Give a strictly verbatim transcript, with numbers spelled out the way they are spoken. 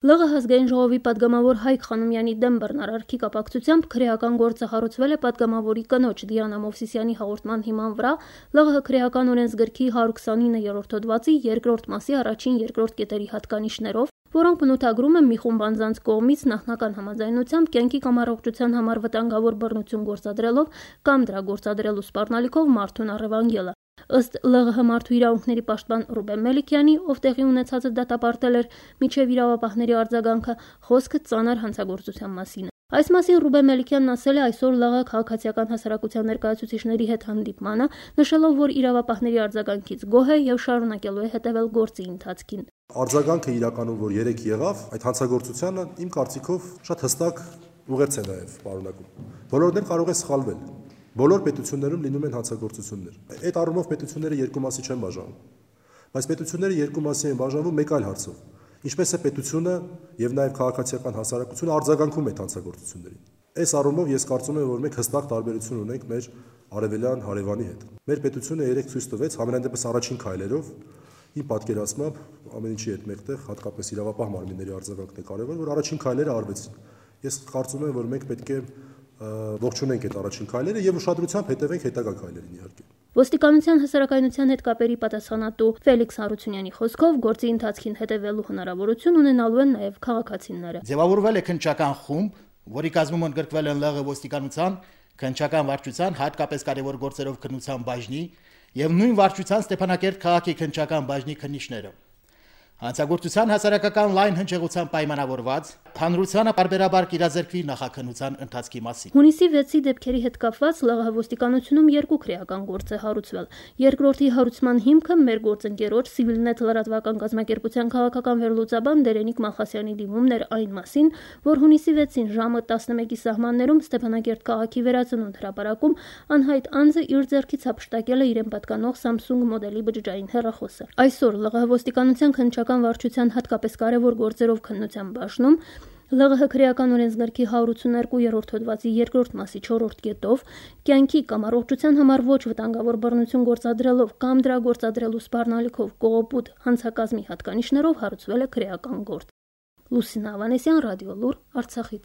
Լ Ղ Ազգային ժողովի պատգամավոր Հայկ Խանոմյանի դեմ բռնարարքի կապակցությամբ քրեական գործը հարուցվել է պատգամավորի կնոջ Դիանա Մովսիսյանի հաղորդման հիման վրա Լ Ղ քրեական օրենսգրքի հարյուր քսանինը երրորդ հոդվածի երկրորդ մասի առաջին երկրորդ կետերի հատկանիշներով, որոնք բնութագրում են մի խումբ անձանց կողմից նախնական համաձայնությամբ կյանքի կամ առողջության համար վտանգավոր բռնություն գործադրելով կամ դրա գործադրելու սպառնալիքով մարդուն առևանգելը։ Ըստ Լ Ղ մարդու իրավունքների պաշտպան Ռուբեն Մելիքյանի, ով տեղի ունեցածը դատապարտել էր մինչև իրավապահների արձագանքը, խոսքը ծանր հանցագործության մասին է։ Այս մասին Ռուբեն Մելիքյանն ասել է այսօր Լ Ղ քաղաքացիական հասարակության ներկայացուցիչների հետ հանդիպմանը, նշելով, որ իրավապահների արձագանքից գոհ է եւ շարունակելու է հետևել գործի ընթացքին։ Արձագանքը իրականում, որ երեք եղավ, այդ հանցագործությանը իմ կարծիքով շատ հստակ ուղերձ է նաեւ պարունակում։ Բոլորն էլ կարող է սխալվել։ Բոլոր պետություններում լինում են հանցագործություններ։ Այդ առումով պետությունները երկու մասի չեն բաժանում։ Բայց պետությունները երկու մասի են բաժանվում մեկ այլ հարցով։ Ինչպես է պետությունը եւ նաեւ քաղաքացիական հասարակությունը արձագանքում այդ հանցագործություններին։ Այս առումով ես կարծում եմ, որ մենք հստակ տարբերություն ունենք մեր արևելյան հարևանի հետ։ Մեր պետությունը երեք ցույց տվեց համենայն դեպս առաջին քայլերով իմ պատկերացմամբ ամեն ինչի հետ մեկտեղ հատկապես իրավապահ մարմինների արձագանքն է կարևոր, որ առաջին քայլերը արվեցին։ Ես կարծում եմ, որ մենք պետք է ողջունենք այդ առաջին քայլերը եւ ուշադրությամբ հետևենք հետագա քայլերին իհարկե։ Ոստիկանության հասարակայնության հետ կապերի պատասխանատու Ֆելիքս Հարությունյանի խոսքով գործի ընթացքին հետևելու հնարավորություն ունենալու են նաեւ քաղաքացիները։ Ձևավորվել է քննչական խումբ, որի կազմում ընդգրկվել են Լ Ղ ոստիկանության, քննչական վարչության, հատկապես կարևոր գործերով քննության բաժնի եւ նույն վարչության Ստեփանակերտ քաղաքի քննչական բաժնի քննիչները։ Հանցագործության հասարակական լայն հնչեղության պայմանավորված հանրությանը բարբերաբար կիրազերկվի նախաքննության ընթացքի մասին։ Հունիսի վեցի դեպքերի հետ կապված Լ Ղ ոստիկանությունում երկու քրեական գործ է հարուցվել։ Երկրորդի հարուցման հիմքը մեր գործընկերոջ Civilnet լրատվական կազմակերպության քաղաքական վերլուծաբան Դերենիկ Մալխասյանի դիմումն էր այն մասին, որ հունիսի վեցին ժամը տասնմեկի սահմաններում Ստեփանակերտ քաղաքի վերածնունդ հրապարակում անհայտ անձը իր ձեռքից հափշտակել է իրեն պատկանող Samsung մոդելի բջջային հեռախոսը։ Այսօր Լ Ղ ոստիկանության քննչական վարչության հատկապես կարևոր գործերով քննության բաժնում Լ Ղ քրեական օրենսգրքի հարյուր ութսուներկու երրորդ հոդվածի երկրորդ մասի չորրորդ կետով կյանքի կամ առողջության համար ոչ վտանգավոր բռնություն գործադրելով կամ դրա գործադրելու սպառնալիքով կողոպուտ հանցակազմի հատկանիշներով հարուցվել է քրեական գործ։ Լուսինա Ավանեսյան, Ռադիոլուր, Արցախից։